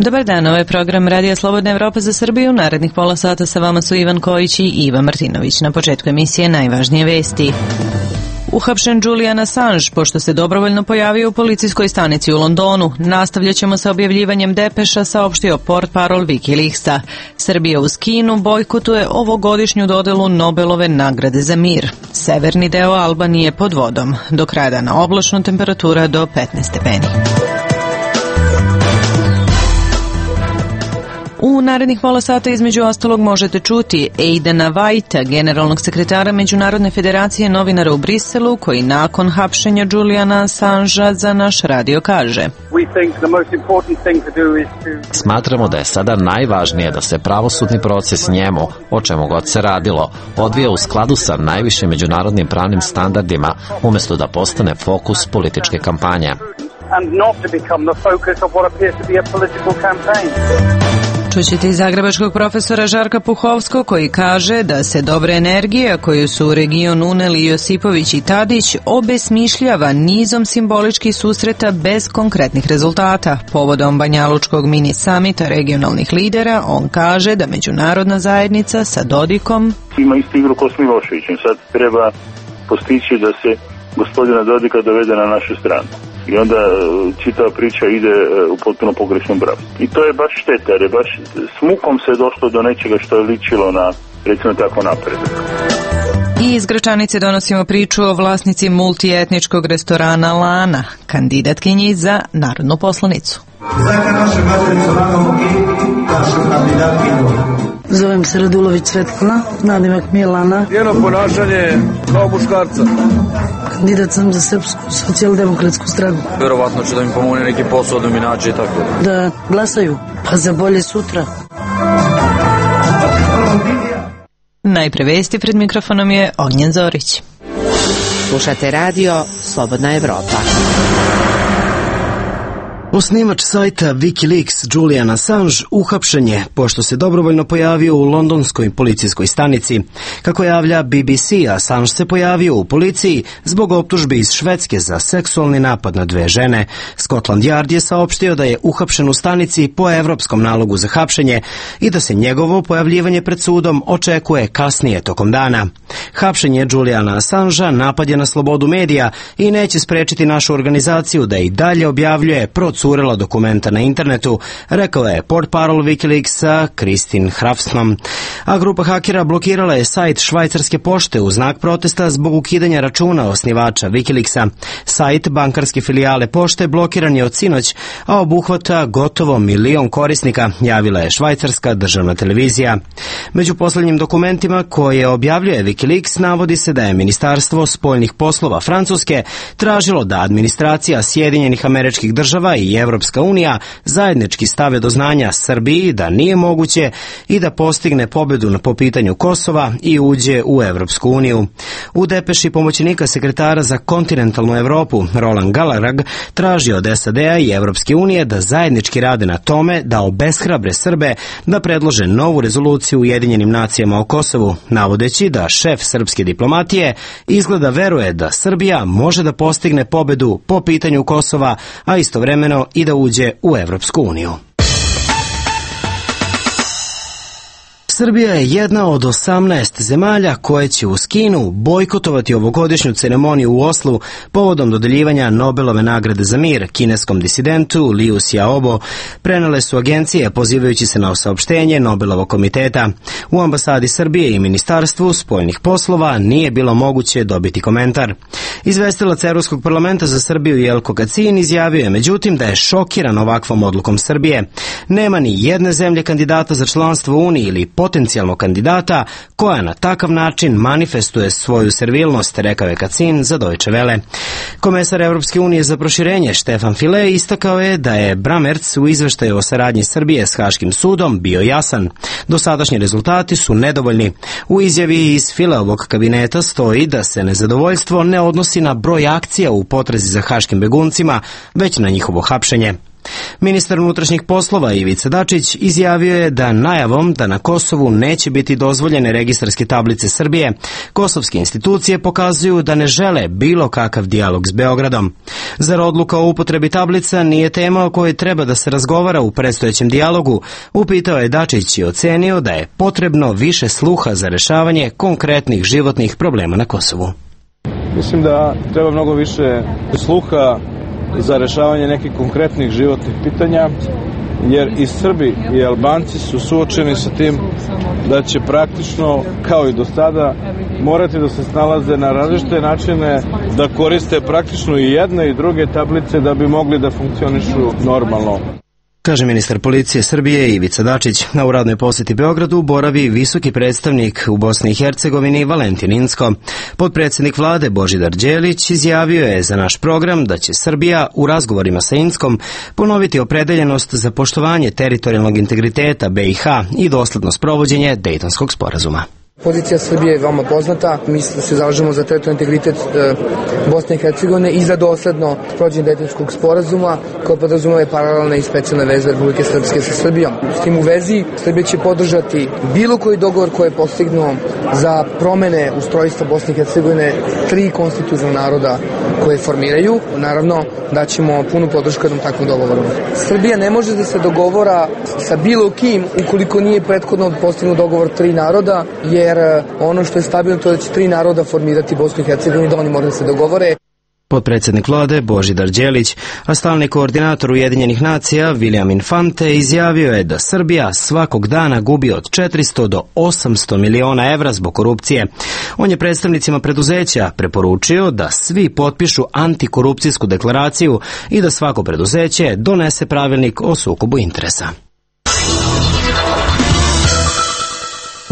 Dobar dan, ovo je program Radija Slobodna Evropa za Srbiju. Narednih pola sata sa vama su Ivan Kojić i Iva Martinović. Na početku emisije najvažnije vesti. Uhapšen Julian Assange, pošto se dobrovoljno pojavio u policijskoj stanici u Londonu. Nastavljat ćemo sa objavljivanjem depeša, saopštio portparol Wikileaksa. Srbija uz Kinu bojkotuje ovogodišnju dodelu Nobelove nagrade za mir. Severni deo Albanije pod vodom. Do kraja dana oblačno, temperatura do 15 stepeni. U narednih pola sata između ostalog možete čuti Aidana Whitea, generalnog sekretara Međunarodne federacije novinara u Briselu, koji nakon hapšenja Juliana Assangea za naš radio kaže: Smatramo da je sada najvažnije da se pravosudni proces njemu, o čemu god se radilo, odvija u skladu sa najvišim međunarodnim pravnim standardima, umjesto da postane fokus političke kampanje. Čućete i zagrebačkog profesora Žarka Puhovskog, koji kaže da se dobra energija koju su u region uneli Josipović i Tadić obesmišljava nizom simboličkih susreta bez konkretnih rezultata. Povodom Banjalučkog mini samita regionalnih lidera, on kaže da međunarodna zajednica sa Dodikom ima isti igru ko s Miloševićem. Sad treba postići da se gospodina Dodika dovede na našu stranu. I onda čitava priča ide u potpuno pogrešnom pravcu. I to je baš šteta, jer je baš s mukom se došlo do nečega što je ličilo na, recimo tako, napredak. I iz Gračanice donosimo priču o vlasnici multietničkog restorana Lana, kandidatkinji za narodnu poslanicu. Zovem se Radulović Svetlana, nadimak mi je Lana. Njeno ponašanje kao muškarca. Kandidat sam za Srpsku socijaldemokratsku stranku. Verovatno će da mi pomogne neki posao da mi nađe i tako. Da glasaju, pa za bolje sutra. Najpre vesti, pred mikrofonom je Ognjen Zorić. Slušate radio Slobodna Evropa. Osnivač sajta Wikileaks Julian Assange uhapšen je pošto se dobrovoljno pojavio u londonskoj policijskoj stanici. Kako javlja BBC, Assange se pojavio u policiji zbog optužbi iz Švedske za seksualni napad na 2 žene. Scotland Yard je saopštio da je uhapšen u stanici po evropskom nalogu za hapšenje i da se njegovo pojavljivanje pred sudom očekuje kasnije tokom dana. Hapšenje Juliana Assangea napad je na slobodu medija i neće sprečiti našu organizaciju da i dalje objavljuje procurela dokumenta na internetu, rekao je portparol Wikileaksa Kristin Hrafsman. A grupa hakera blokirala je sajt švajcarske pošte u znak protesta zbog ukidanja računa osnivača Wikileaksa. Sajt bankarske filijale pošte blokiran je od sinoć, a obuhvata gotovo 1 milion korisnika, javila je švajcarska državna televizija. Među poslednjim dokumentima koje objavljuje Wikileaks navodi se da je Ministarstvo spoljnih poslova Francuske tražilo da administracija Sjedinjenih Američkih Država i Evropska unija zajednički stave do znanja Srbiji da nije moguće i da postigne pobedu po pitanju Kosova i uđe u Evropsku uniju. U depeši pomoćnika sekretara za kontinentalnu Evropu Roland Galarag traži od SAD-a i Evropske unije da zajednički rade na tome da obeshrabre Srbe da predlože novu rezoluciju u Ujedinjenim nacijama o Kosovu, navodeći da šef srpske diplomatije izgleda veruje da Srbija može da postigne pobedu po pitanju Kosova, a istovremeno i da uđe u Evropsku uniju. Srbija je jedna od 18 zemalja koje će uz Kinu bojkotovati ovogodišnju ceremoniju u Oslu povodom dodeljivanja Nobelove nagrade za mir kineskom disidentu Liu Xiaobo, prenele su agencije pozivajući se na saopštenje Nobelovog komiteta. U ambasadi Srbije i Ministarstvu spoljnih poslova nije bilo moguće dobiti komentar. Izvestilac Evropskog parlamenta za Srbiju Jelko Kacin izjavio je međutim da je šokiran ovakvom odlukom Srbije. Nema ni jedne zemlje kandidata za članstvo u Uniji ili potencijalnog kandidata koja na takav način manifestuje svoju servilnost, rekao je Kacin za Deutsche Welle. Komesar Evropske unije za proširenje Štefan File istakao je da je Bramertz u izveštaju o saradnji Srbije s Haškim sudom bio jasan. Dosadašnji rezultati su nedovoljni. U izjavi iz Fileovog kabineta stoji da se nezadovoljstvo ne odnosi na broj akcija u potrazi za haškim beguncima, već na njihovo hapšenje. Ministar unutrašnjih poslova Ivica Dačić izjavio je da najavom da na Kosovu neće biti dozvoljene registarske tablice Srbije, kosovske institucije pokazuju da ne žele bilo kakav dijalog s Beogradom. Zar odluka o upotrebi tablica nije tema o kojoj treba da se razgovara u predstojećem dijalogu, upitao je Dačić i ocenio da je potrebno više sluha za rešavanje konkretnih životnih problema na Kosovu. Mislim da treba mnogo više sluha za rešavanje nekih konkretnih životnih pitanja, jer i Srbi i Albanci su suočeni sa tim da će praktično, kao i do sada, morati da se snalaze na različite načine, da koriste praktično i jedne i druge tablice da bi mogli da funkcionišu normalno. Kaže ministar policije Srbije Ivica Dačić. Na u radnoj poseti Beogradu boravi visoki predstavnik u Bosni i Hercegovini Valentin Incko. Potpredsjednik vlade Božidar Đelić izjavio je za naš program da će Srbija u razgovorima sa Inckom ponoviti opredeljenost za poštovanje teritorijalnog integriteta BiH i dosledno sprovođenje Dejtonskog sporazuma. Pozicija Srbije je veoma poznata. Mi se zalažemo za teritorijalni integritet Bosne i Hercegovine i za dosledno sprovođenje Dejtonskog sporazuma koje podrazumeva paralelne i specijalne veze Republike Srpske sa Srbijom. S tim u vezi Srbija će podržati bilo koji dogovor koji je postignuo za promene ustrojstva Bosne i Hercegovine 3 konstitutivna naroda koje formiraju. Naravno da ćemo punu podršku jednom takvom dogovoru. Srbija ne može da se dogovora sa bilo kim ukoliko nije prethodno postignut dogovor 3 naroda, jer ono što je stabilno to je da će 3 naroda formirati Bosnu i Hercegovinu, da oni moraju da se dogovore. Potpredsjednik vlade Božidar Đelić, a stalni koordinator Ujedinjenih nacija William Infante izjavio je da Srbija svakog dana gubi od 400 do 800 miliona evra zbog korupcije. On je predstavnicima preduzeća preporučio da svi potpišu antikorupcijsku deklaraciju i da svako preduzeće donese pravilnik o sukobu interesa.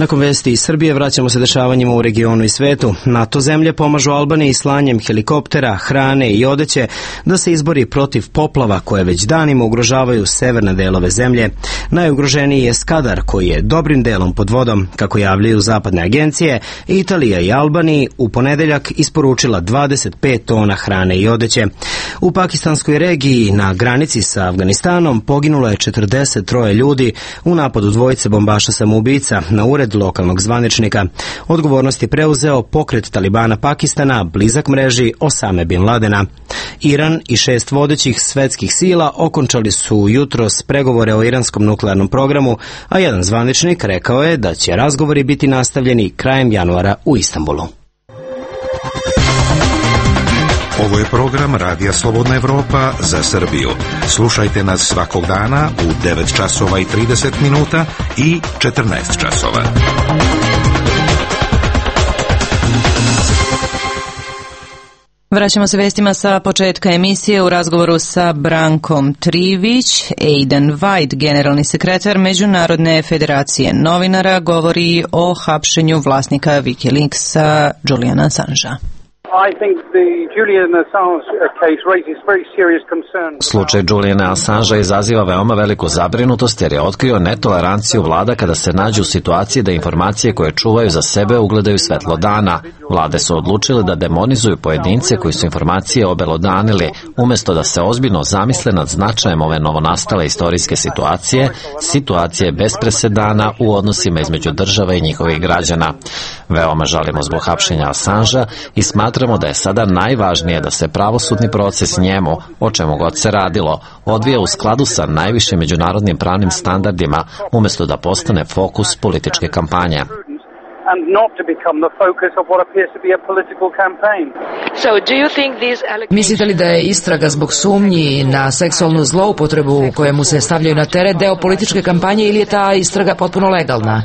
Nakon vesti iz Srbije vraćamo se dešavanjima u regionu i svetu. NATO zemlje pomažu Albaniji slanjem helikoptera, hrane i odeće da se izbori protiv poplava koje već danima ugrožavaju severne delove zemlje. Najugroženiji je Skadar koji je dobrim delom pod vodom. Kako javljaju zapadne agencije, Italija i Albaniji u ponedeljak isporučila 25 tona hrane i odeće. U pakistanskoj regiji na granici sa Afganistanom poginulo je 43 ljudi u napadu dvojice bombaša samoubica na ured lokalnog zvaničnika. Odgovornost je preuzeo pokret Talibana Pakistana, blizak mreži Osame bin Ladena. Iran i 6 vodećih svetskih sila okončali su jutros pregovore o iranskom nuklearnom programu, a jedan zvaničnik rekao je da će razgovori biti nastavljeni krajem januara u Istanbulu. Ovo je program Radija Slobodna Evropa za Srbiju. Slušajte nas svakog dana u 9 časova i 30 minuta i 14 časova. Vraćamo se vestima sa početka emisije u razgovoru sa Brankom Trivić. Aidan White, generalni sekretar Međunarodne federacije novinara, govori o hapšenju vlasnika Wikileaksa Juliana Assangea. Slučaj Juliana Assangea izaziva veoma veliku zabrinutost jer je otkrio netoleranciju vlada kada se nađu u situaciji da informacije koje čuvaju za sebe ugledaju svetlo dana. Vlade su odlučile da demonizuju pojedince koji su informacije obelodanili, umesto da se ozbiljno zamisle nad značajem ove novonastale istorijske situacije bez presedana u odnosima između država i njihovih građana. Veoma žalimo zbog hapšenja Assangea i smatramo da je sada najvažnije da se pravosudni proces njemu, o čemu god se radilo, odvija u skladu sa najvišim međunarodnim pravnim standardima, umesto da postane fokus političke kampanje. Mislite li da je istraga zbog sumnji na seksualnu zloupotrebu kojemu se stavljaju na teret deo političke kampanje ili je ta istraga potpuno legalna?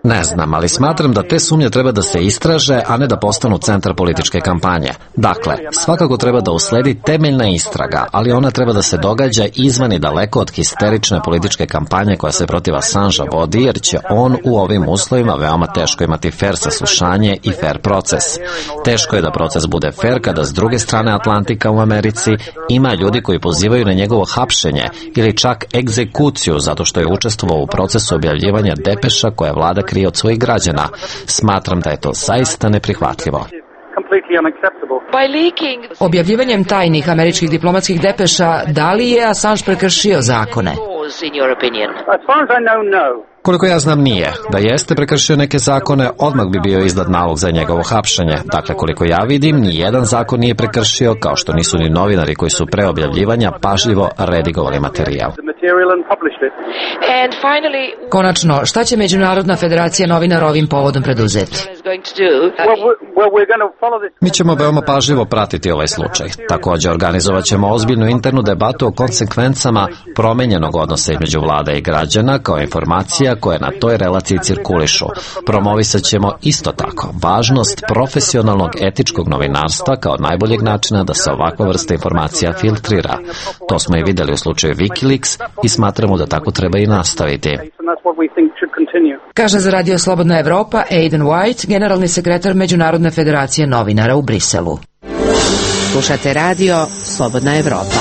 Ne znam, ali smatram da te sumnje treba da se istraže, a ne da postanu centar političke kampanje. Dakle, svakako treba da usledi temeljna istraga, ali ona treba da se događa izvan i daleko od histerične političke kampanje koja se protiv Assangea vodi, jer će on u ovim uslovima veoma teško imati fair saslušanje i fair proces. Teško je da proces bude fair kada s druge strane Atlantika u Americi ima ljudi koji pozivaju na njegovo hapšenje ili čak egzekuciju zato što je učestvovao u procesu objavljivanja depeša koje vlada krije od svojih građana. Smatram da je to zaista neprihvatljivo. Objavljivanjem tajnih američkih diplomatskih depeša, da li je Assange prekršio zakone? Koliko ja znam nije. Da jeste prekršio neke zakone, odmah bi bio izdat nalog za njegovo hapšenje. Dakle, koliko ja vidim, ni jedan zakon nije prekršio, kao što nisu ni novinari koji su pre objavljivanja pažljivo redigovali materijal. Konačno, šta će Međunarodna federacija novinara ovim povodom preduzeti? Mi ćemo veoma pažljivo pratiti ovaj slučaj. Također organizovat ćemo ozbiljnu internu debatu o konsekvencama promenjenog odnosa između vlada i građana kao informacija koje na toj relaciji cirkulišu. Promovisat ćemo isto tako važnost profesionalnog etičkog novinarstva kao najboljeg načina da se ovakva vrsta informacija filtrira. To smo i videli u slučaju Wikileaks i smatramo da tako treba i nastaviti. Kaže za Radio Slobodna Evropa Aidan White, generalni sekretar Međunarodne federacije novinara u Briselu. Slušate Radio Slobodna Evropa.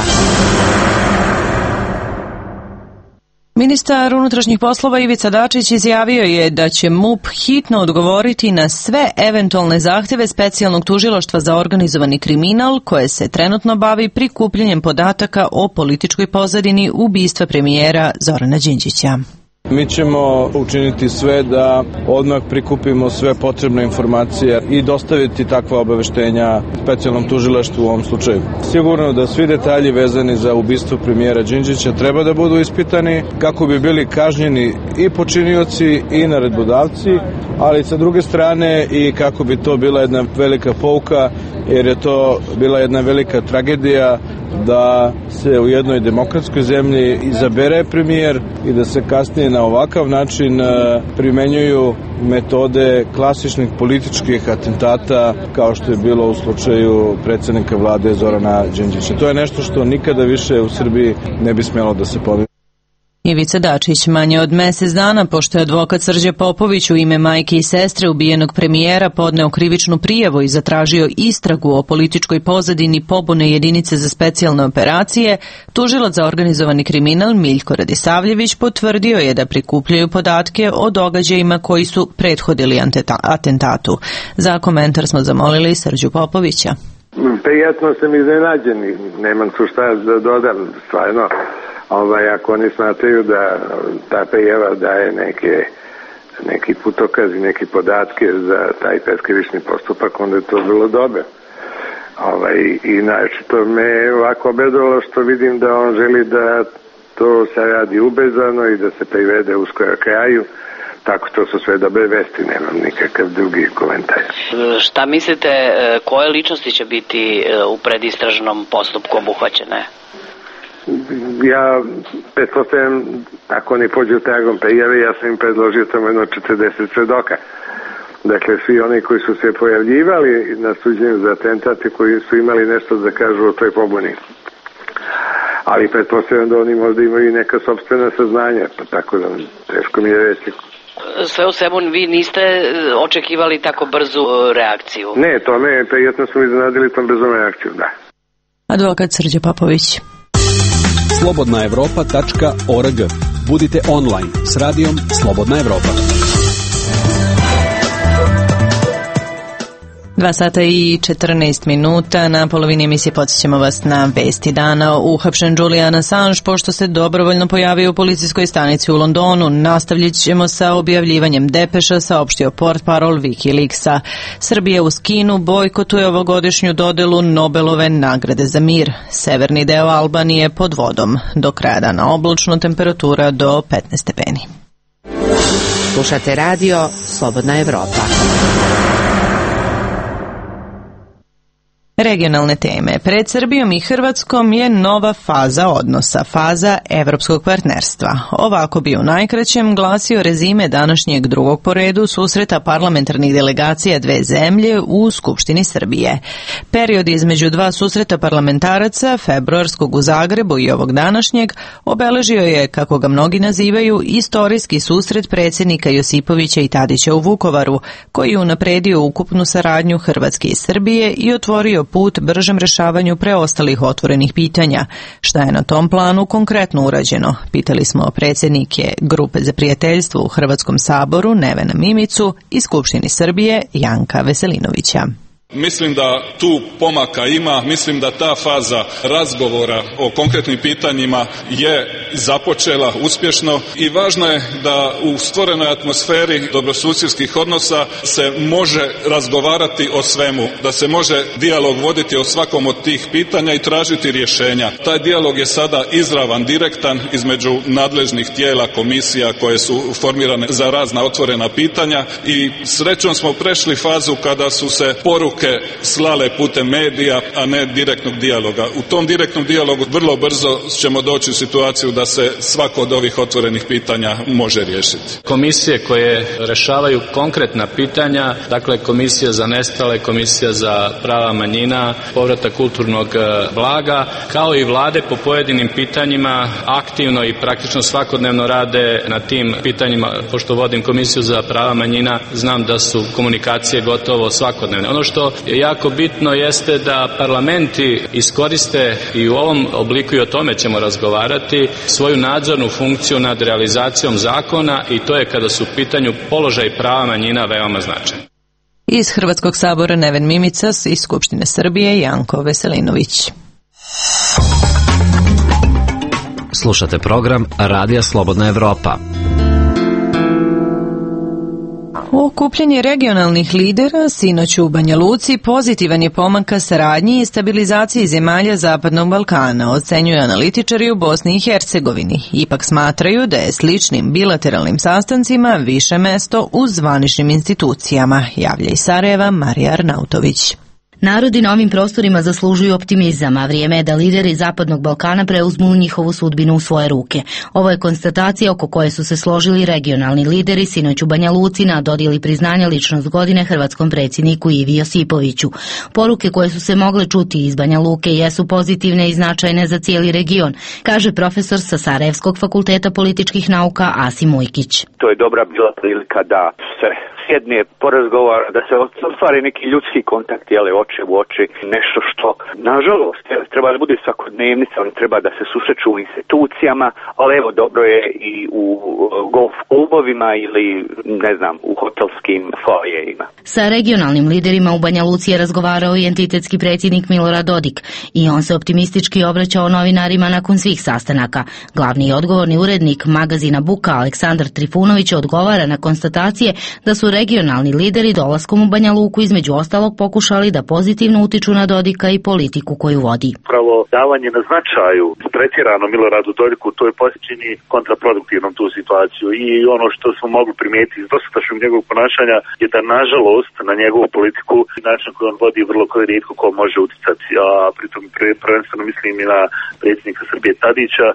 Ministar unutrašnjih poslova Ivica Dačić izjavio je da će MUP hitno odgovoriti na sve eventualne zahteve specijalnog tužilaštva za organizovani kriminal koje se trenutno bavi prikupljanjem podataka o političkoj pozadini ubistva premijera Zorana Đinđića. Mi ćemo učiniti sve da odmah prikupimo sve potrebne informacije i dostaviti takva obaveštenja specijalnom tužilaštvu u ovom slučaju. Sigurno da svi detalji vezani za ubistvo premijera Đinđića treba da budu ispitani kako bi bili kažnjeni i počinioci i naredbodavci, ali sa druge strane i kako bi to bila jedna velika pouka, jer je to bila jedna velika tragedija da se u jednoj demokratskoj zemlji izabere premijer i da se kasnije na ovakav način primenjuju metode klasičnih političkih atentata kao što je bilo u slučaju predsjednika vlade Zorana Đinđića. To je nešto što nikada više u Srbiji ne bi smjelo da se ponovi. Ivica Dačić manje od mesec dana, pošto je advokat Srđe Popović u ime majke i sestre ubijenog premijera podneo krivičnu prijavu i zatražio istragu o političkoj pozadini pobune jedinice za specijalne operacije, tužilac za organizovani kriminal Miljko Radisavljević potvrdio je da prikupljaju podatke o događajima koji su prethodili atentatu. Za komentar smo zamolili Srđu Popovića. Prijatno sam iznenađen, nemam tu šta da dodam, stvarno. Ako oni smatraju da ta prijava daje neki putokaz i neke podatke za taj pretkrivični postupak, onda je to vrlo dobro. I naročito me ovako obradovalo što vidim da on želi da to se radi ubrzano i da se privede uskoro kraju. Tako to su sve dobre vesti, nemam nikakav drugi komentar. Šta mislite, koje ličnosti će biti u predistražnom postupku obuhvaćene? Ja pretpostavljam, ako oni pođu tragom prijave, ja sam im predložio tamo jedno 40 svedoka. Dakle, svi oni koji su se pojavljivali na suđenju za atentate, koji su imali nešto da kažu o toj pobuni. Ali pretpostavljam da oni možda imaju i neka sopstvena saznanja, pa tako da teško mi je reći. Sve u svemu vi niste očekivali tako brzu reakciju? Ne, to ne, prijetno smo iznenadili tom brzom reakciju, da. Advokat Srđe Popović. slobodnaevropa.org. Budite online s radijom Slobodna Evropa. 2 sata i 14 minuta. Na polovini emisije podsjećamo vas na vesti dana. Uhapšen Julian Assange pošto se dobrovoljno pojavio u policijskoj stanici u Londonu. Nastavljat ćemo sa objavljivanjem depeša, saopštio portparol Wikileaksa. Srbija uz Kinu bojkotuje ovogodišnju dodelu Nobelove nagrade za mir. Severni deo Albanije pod vodom. Do kraja dana oblačno, temperatura do 15 stepeni. Slušate radio Slobodna Evropa. Regionalne teme. Pred Srbijom i Hrvatskom je nova faza odnosa, faza evropskog partnerstva. Ovako bi u najkraćem glasio rezime današnjeg drugog po redu susreta parlamentarnih delegacija dve zemlje u Skupštini Srbije. Period između dva susreta parlamentaraca, februarskog u Zagrebu i ovog današnjeg, obeležio je, kako ga mnogi nazivaju, istorijski susret predsjednika Josipovića i Tadića u Vukovaru, koji je unapredio ukupnu saradnju Hrvatske i Srbije i otvorio put bržem rešavanju preostalih otvorenih pitanja. Šta je na tom planu konkretno urađeno? Pitali smo predsjednike Grupe za prijateljstvo u Hrvatskom saboru Nevena Mimicu i Skupštini Srbije Janka Veselinovića. Mislim da tu pomaka ima, mislim da ta faza razgovora o konkretnim pitanjima je započela uspješno i važno je da u stvorenoj atmosferi dobrosusjedskih odnosa se može razgovarati o svemu, da se može dijalog voditi o svakom od tih pitanja i tražiti rješenja. Taj dijalog je sada izravan, direktan između nadležnih tijela, komisija koje su formirane za razna otvorena pitanja i srećom smo prešli fazu kada su se poruke slale putem medija, a ne direktnog dijaloga. U tom direktnom dijalogu vrlo brzo ćemo doći u situaciju da se svako od ovih otvorenih pitanja može riješiti. Komisije koje rešavaju konkretna pitanja, dakle komisija za nestale, komisija za prava manjina, povratak kulturnog blaga, kao i vlade po pojedinim pitanjima aktivno i praktično svakodnevno rade na tim pitanjima. Pošto vodim komisiju za prava manjina, znam da su komunikacije gotovo svakodnevne. Ono što je jako bitno jeste da parlamenti iskoriste i u ovom obliku, i o tome ćemo razgovarati, svoju nadzornu funkciju nad realizacijom zakona, i to je kada su u pitanju položaj prava manjina veoma značajno. Iz Hrvatskog sabora Neven Mimicas, iz Skupštine Srbije Janko Veselinović. Slušate program Radija Slobodna Evropa. Okupljanje regionalnih lidera sinoć u Banja Luci pozitivan je pomak ka saradnji i stabilizaciji zemalja Zapadnog Balkana, ocenjuju analitičari u Bosni i Hercegovini. Ipak smatraju da je sličnim bilateralnim sastancima više mesto u zvaničnim institucijama, javlja iz Sarajeva Marija Arnautović. Narodi na ovim prostorima zaslužuju optimizam, a vrijeme je da lideri Zapadnog Balkana preuzmu njihovu sudbinu u svoje ruke. Ovo je konstatacija oko koje su se složili regionalni lideri sinoć u Banja Luci na dodjeli priznanja ličnost godine hrvatskom predsjedniku Ivi Josipoviću. Poruke koje su se mogle čuti iz Banja Luke jesu pozitivne i značajne za cijeli region, kaže profesor sa Sarajevskog fakulteta političkih nauka Asim Ujkić. To je dobra bila prilika da se sjedne, porazgovara, da se ostvari neki ljudski kontakt, oči u oči, nešto što, nažalost, treba da bude svakodnevnica, oni treba da se susreću u institucijama, ali evo, dobro je i u golf klubovima ili, ne znam, u hotelskim foajejima. Sa regionalnim liderima u Banja Luci je razgovarao i entitetski predsjednik Milorad Dodik i on se optimistički obraćao novinarima nakon svih sastanaka. Glavni i odgovorni urednik magazina Buka Aleksandar Trifunović odgovara na konstatacije da su regionalni lideri dolaskom u Banja Luku između ostalog pokušali da pozitivno utiču na Dodika i politiku koju vodi. Pravo davanje na značaju pretjerano Miloradu Dodiku, to je čini kontraproduktivnom tu situaciju i ono što smo mogli primijetiti iz dosadašnjeg njegovog ponašanja je da nažalost na njegovu politiku način koji on vodi vrlo koji rijetko ko može uticati, a pritom prvenstveno mislim i na predsjednika Srbije Tadića,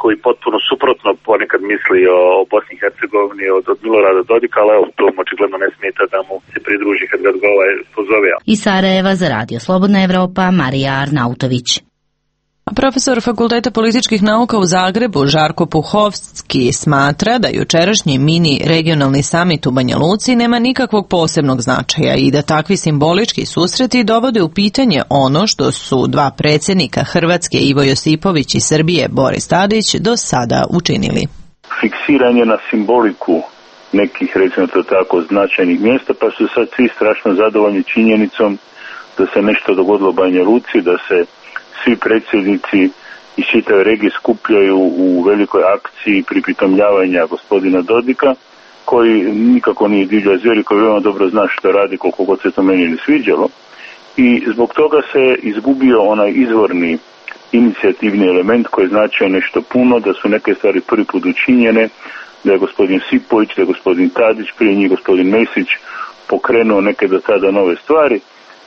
koji potpuno suprotno ponekad misli o Bosni i Hercegovini od Milorada Dodika, ali evo, to mu očigledno ne smeta da mu se pridruži kad ga pozove. Iz Sarajeva za Radio Slobodna Evropa Marija Arnautović. Profesor Fakulteta političkih nauka u Zagrebu Žarko Puhovski smatra da jučerašnji mini regionalni samit u Banja Luci nema nikakvog posebnog značaja i da takvi simbolički susreti dovode u pitanje ono što su dva predsjednika Hrvatske Ivo Josipović i Srbije Boris Tadić do sada učinili. Fiksiranje na simboliku nekih, recimo to tako, značajnih mjesta, pa su sad svi strašno zadovoljni činjenicom da se nešto dogodilo u Banja Luci, da se svi predsjednici iz čitave regije skupljaju u velikoj akciji pripitomljavanja gospodina Dodika, koji nikako nije divlja zvijer, koji veoma dobro zna što radi, koliko god se to meni ne sviđalo. I zbog toga se izgubio onaj izvorni inicijativni element koji značio nešto puno, da su neke stvari prvi put učinjene, da je gospodin Sipović, da je gospodin Tadić, prije njih gospodin Mesić pokrenuo neke do tada nove stvari.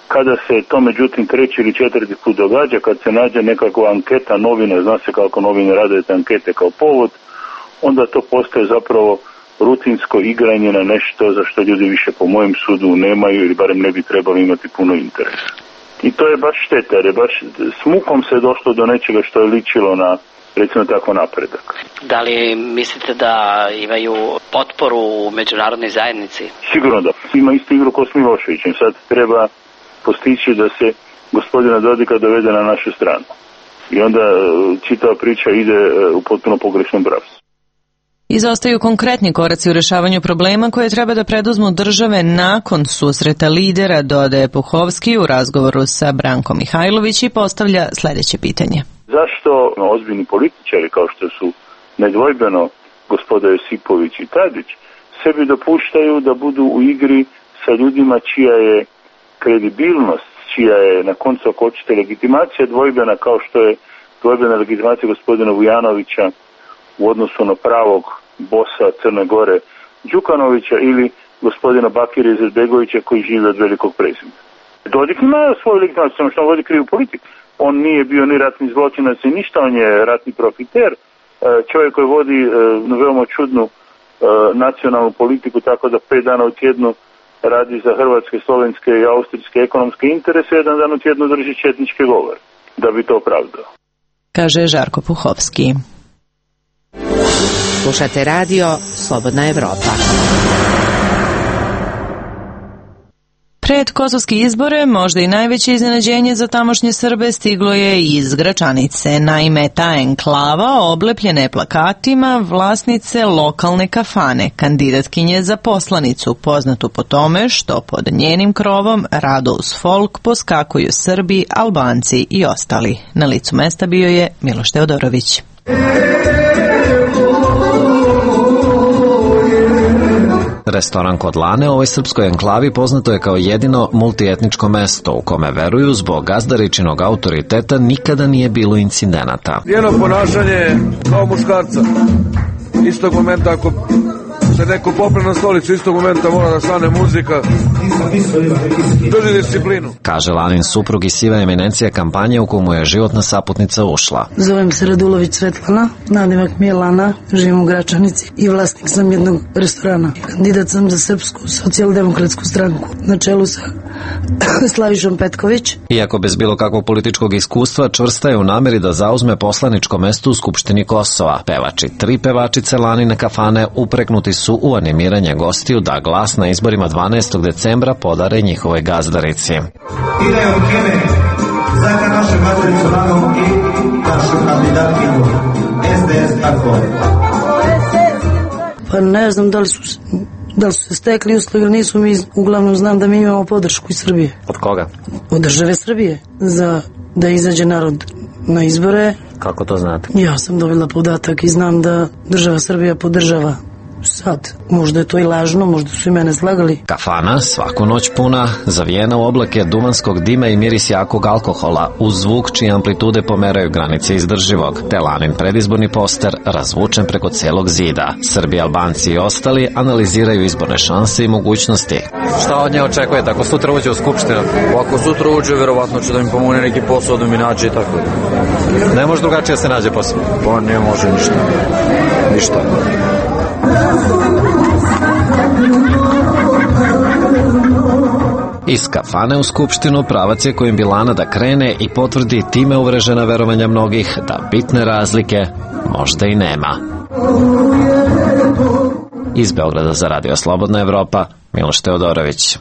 Kada se to međutim treći ili četvrti put događa, kad se nađe nekakva anketa novina, zna se kako novine rade te ankete kao povod, onda to postaje zapravo rutinsko igranje na nešto za što ljudi više po mojem sudu nemaju ili barem ne bi trebali imati puno interesa. I to je baš šteta, jer je baš s mukom se došlo do nečega što je ličilo na, recimo tako, napredak. Da li mislite da imaju potporu u međunarodnoj zajednici? Sigurno da. Ima istu igru kao s Miloševićem. Sad treba postići da se gospodina Dodika dovede na našu stranu. I onda čitava priča ide u potpuno pogrešnom pravcu. Izostaju konkretni koraci u rešavanju problema koje treba da preduzmu države nakon susreta lidera, dodaje Puhovski u razgovoru sa Brankom Mihajlović i postavlja sledeće pitanje. Zašto ozbiljni političari kao što su nedvojbeno gospoda Josipović i Tadić sebi dopuštaju da budu u igri sa ljudima čija je kredibilnost, čija je na koncu ako hoćete legitimacija dvojbena kao što je dvojbena legitimacija gospodina Vujanovića u odnosu na pravog bosa Crne Gore Đukanovića ili gospodina Bakira Izetbegovića koji žive od velikog prezimena. Dodik ima svoju legitimaciju, samo što on vodi krivu politiku. On nije bio ni ratni zločinac ni ništa, on je ratni profiter. Čovjek koji vodi veoma čudnu nacionalnu politiku, tako da 5 dana u tjednu radi za hrvatske, slovenske i austrijske ekonomske interese, 1 dan u tjednu drži četničke govore, da bi to opravdao. Kaže Žarko Puhovski. Slušate radio Slobodna Evropa. Pred kosovske izbore možda i najveće iznenađenje za tamošnje Srbe stiglo je iz Gračanice. Naime, ta enklava oblepljena je plakatima vlasnice lokalne kafane, kandidatkinje za poslanicu, poznatu po tome što pod njenim krovom rado uz folk poskakuju Srbi, Albanci i ostali. Na licu mesta bio je Miloš Teodorović. Restoran kod Lane u ovoj srpskoj enklavi poznato je kao jedino multietničko mesto u kome veruju zbog gazdaričinog autoriteta nikada nije bilo incidenata. Njeno ponašanje kao muškarca. Istog momenta ako se neko popne na stolicu, istog momenta mora da stane muzika. Drži disciplinu. Kaže Lanin suprug i siva eminencija kampanje u komu je životna saputnica ušla. Zovem se Radulović Svetlana, nadimak mi je Lana, živim u Gračanici i vlasnik sam jednog restorana. Kandidat sam za Srpsku socijaldemokratsku stranku na čelu sa Slavišom Petković. Iako bez bilo kakvog političkog iskustva, čvrsta je u nameri da zauzme poslaničko mesto u Skupštini Kosova. Pevači, 3 pevačice Lanine kafane upreknuti su u animiranje gostiju da glas na izborima 12. decembra podare njihovoj gazdarici. Ide u kime za našu gazdaricu Lanu i našu kandidatkinju SDS tako. Pa ne znam da li su se stekli uslovi ili nisu, mi uglavnom znam da mi imamo podršku iz Srbije. Od koga? Od države Srbije, za da izađe narod na izbore. Kako to znate? Ja sam dobila podatak i znam da država Srbija podržava. Sad, možda je to i lažno, možda su i mene slagali. Kafana, svaku noć puna, zavijena u oblake duvanskog dima i miris jakog alkohola, uz zvuk čije amplitude pomeraju granice izdrživog, te Lanin predizborni poster razvučen preko celog zida. Srbi, Albanci i ostali analiziraju izborne šanse i mogućnosti. Šta od nje očekujete ako sutra uđe u skupštinu? Ako sutra uđe, verovatno će da mi pomogne neki posao da mi nađe i tako. Ne može drugačije se nađe posao? Pa ne može ništa. Ništa. Iz kafane u skupštinu pravac je kojim bi Lana da krene i potvrdi time uvrežena verovanja mnogih da bitne razlike možda i nema. Iz Beograda za Radio Slobodna Evropa, Miloš Teodorović.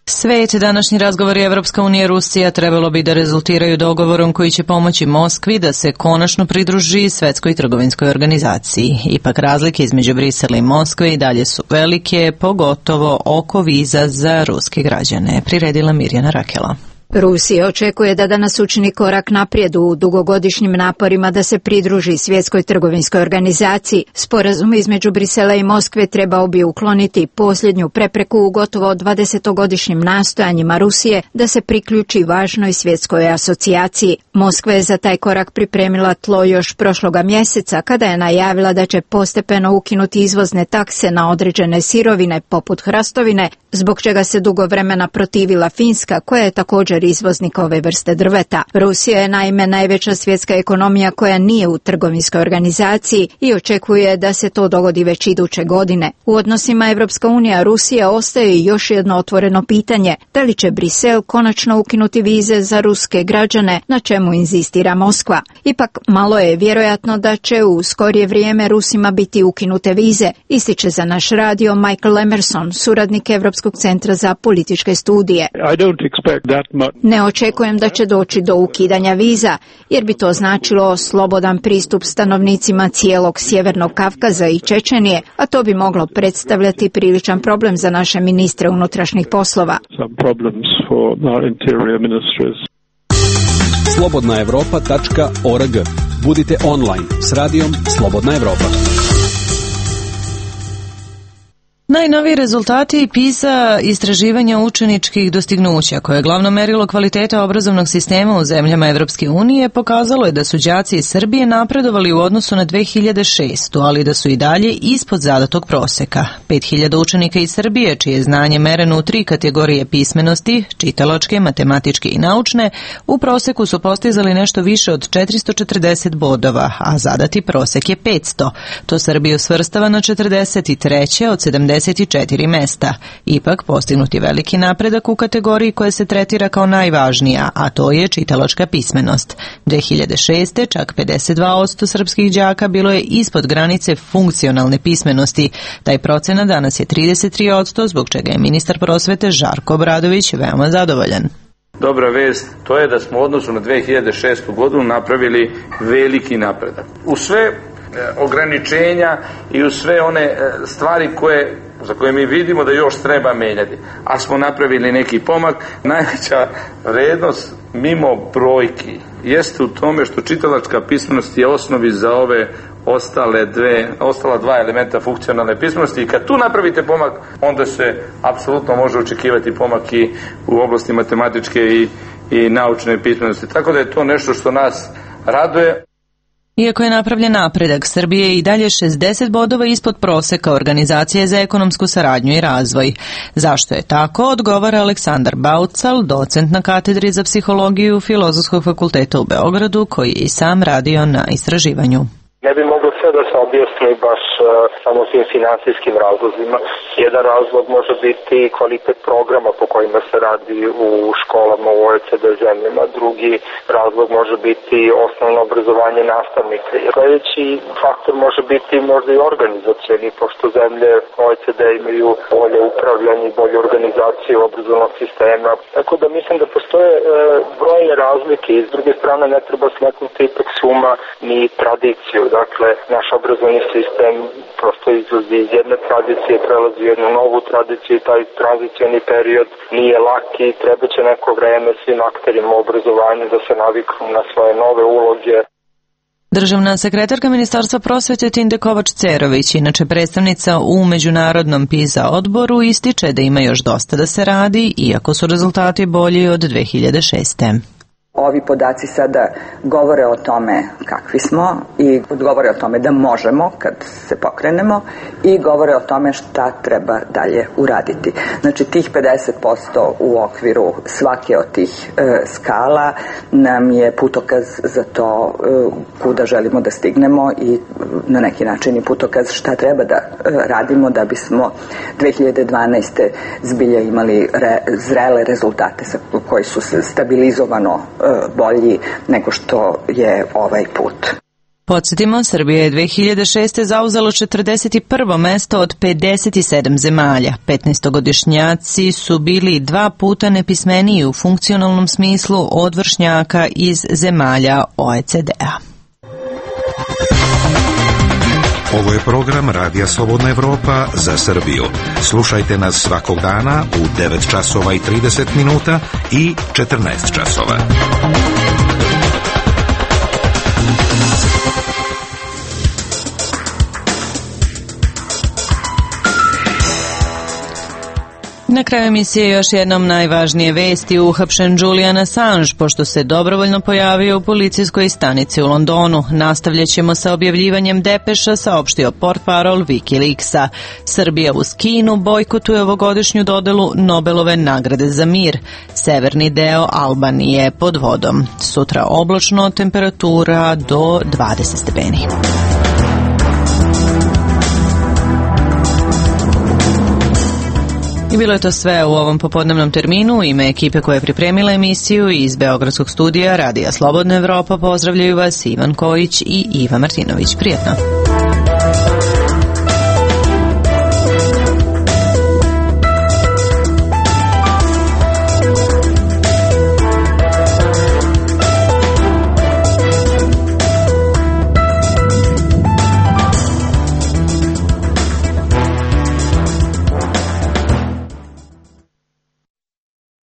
Svet, današnji razgovor Evropska unija i Rusija trebalo bi da rezultiraju dogovorom koji će pomoći Moskvi da se konačno pridruži Svetskoj trgovinskoj organizaciji. Ipak razlike između Brisela i Moskve i dalje su velike, pogotovo oko viza za ruske građane. Priredila Mirjana Rakela. Rusija očekuje da danas učini korak naprijed u dugogodišnjim naporima da se pridruži Svjetskoj trgovinskoj organizaciji. Sporazum između Brisela i Moskve trebao bi ukloniti posljednju prepreku u gotovo 20-godišnjim nastojanjima Rusije da se priključi važnoj svjetskoj asocijaciji. Moskva je za taj korak pripremila tlo još prošloga mjeseca kada je najavila da će postepeno ukinuti izvozne takse na određene sirovine poput hrastovine, zbog čega se dugo vremena protivila Finska, koja je također izvoznik ove vrste drveta. Rusija je naime najveća svjetska ekonomija koja nije u trgovinskoj organizaciji i očekuje da se to dogodi već iduće godine. U odnosima Evropska unija Rusija ostaje još jedno otvoreno pitanje, da li će Brisel konačno ukinuti vize za ruske građane, na čemu inzistira Moskva. Ipak malo je vjerojatno da će u skorije vrijeme Rusima biti ukinute vize, ističe za naš radio Michael Emerson, suradnik Evropskog centra za političke studije. I don't expect that much Ne očekujem da će doći do ukidanja viza, jer bi to značilo slobodan pristup stanovnicima cijelog Sjevernog Kavkaza i Čečenije, a to bi moglo predstavljati priličan problem za naše ministre unutrašnjih poslova. Slobodnaevropa.org. Budite online s radijom Slobodna Evropa. Najnoviji rezultati PISA istraživanja učeničkih dostignuća, koje je glavno merilo kvaliteta obrazovnog sistema u zemljama Evropske unije, pokazalo je da su đaci iz Srbije napredovali u odnosu na 2006. ali da su i dalje ispod zadatog proseka. 5000 učenika iz Srbije, čije je znanje mereno u 3 kategorije pismenosti, čitalačke, matematičke i naučne, u proseku su postizali nešto više od 440 bodova, a zadati prosek je 500. To Srbiju svrstava na 43. od 74 mesta. Ipak postignut je veliki napredak u kategoriji koja se tretira kao najvažnija, a to je čitalačka pismenost. 2006. čak 52% srpskih đaka bilo je ispod granice funkcionalne pismenosti. Taj procenat danas je 33%, zbog čega je ministar prosvete Žarko Obradović veoma zadovoljan. Dobra vest, to je da smo u odnosu na 2006. godinu napravili veliki napredak. U sve ograničenja i u sve one stvari za koje mi vidimo da još treba menjati, a smo napravili neki pomak. Najveća vrednost mimo brojki jeste u tome što čitalačka pismenost je osnovi za ove ostala dva elementa funkcionalne pismenosti, i kad tu napravite pomak, onda se apsolutno može očekivati pomak i u oblasti matematičke i naučne pismenosti. Tako da je to nešto što nas raduje. Iako je napravljen napredak, Srbije je i dalje 60 bodova ispod proseka Organizacije za ekonomsku saradnju i razvoj. Zašto je tako, odgovara Aleksandar Baucal, docent na katedri za psihologiju Filozofskog fakulteta u Beogradu, koji je i sam radio na istraživanju. Ne bi moglo sve da se objasni baš samo tim finansijskim razlozima. Jedan razlog može biti kvalitet programa po kojima se radi u školama u OECD zemljama. Drugi razlog može biti osnovno obrazovanje nastavnika. Sljedeći faktor može biti možda i organizacioni, pošto zemlje OECD imaju bolje upravljanje i bolje organizaciju obrazovnog sistema. Tako da mislim da postoje brojne razlike i s druge strane ne treba smetnuti ipak suma ni tradiciju. Dakle, naš obrazovni sistem prosto izlazi iz jedne tradicije, prelazi u jednu novu tradiciju i taj tranzicioni period nije lak i treba će neko vreme svim akterima u obrazovanju da se naviknu na svoje nove uloge. Državna sekretarka Ministarstva prosvete Tinde Kovač-Cerović, inače predstavnica u Međunarodnom PISA odboru, ističe da ima još dosta da se radi, iako su rezultati bolji od 2006. Ovi podaci sada govore o tome kakvi smo i govore o tome da možemo kad se pokrenemo i govore o tome šta treba dalje uraditi. Znači tih 50% u okviru svake od tih skala nam je putokaz za to kuda želimo da stignemo i na neki način i putokaz šta treba da radimo da bismo 2012. zbilja imali zrele rezultate koji su se stabilizovano bolji nego što je ovaj put. Podsjetimo, Srbija je 2006. zauzelo 41. mesto od 57 zemalja. 15-godišnjaci su bili 2 puta nepismeniji u funkcionalnom smislu od vršnjaka iz zemalja OECD-a. Ovo je program Radija Slobodna Evropa za Srbiju. Slušajte nas svakog dana u 9 časova i 30 minuta i 14 časova. Na kraju emisije još jednom najvažnije vesti. Uhapšen Julian Assange, pošto se dobrovoljno pojavio u policijskoj stanici u Londonu. Nastavljat ćemo sa objavljivanjem depeša, saopštio portparol Wikileaksa. Srbija uz Kinu bojkotuje ovogodišnju dodelu Nobelove nagrade za mir. Severni deo Albanije pod vodom. Sutra oblačno, temperatura do 20 stepeni. I bilo je to sve u ovom popodnevnom terminu. U ime ekipe koja je pripremila emisiju iz Beogradskog studija Radija Slobodna Evropa pozdravljaju vas Ivan Kojić i Iva Martinović. Prijetno!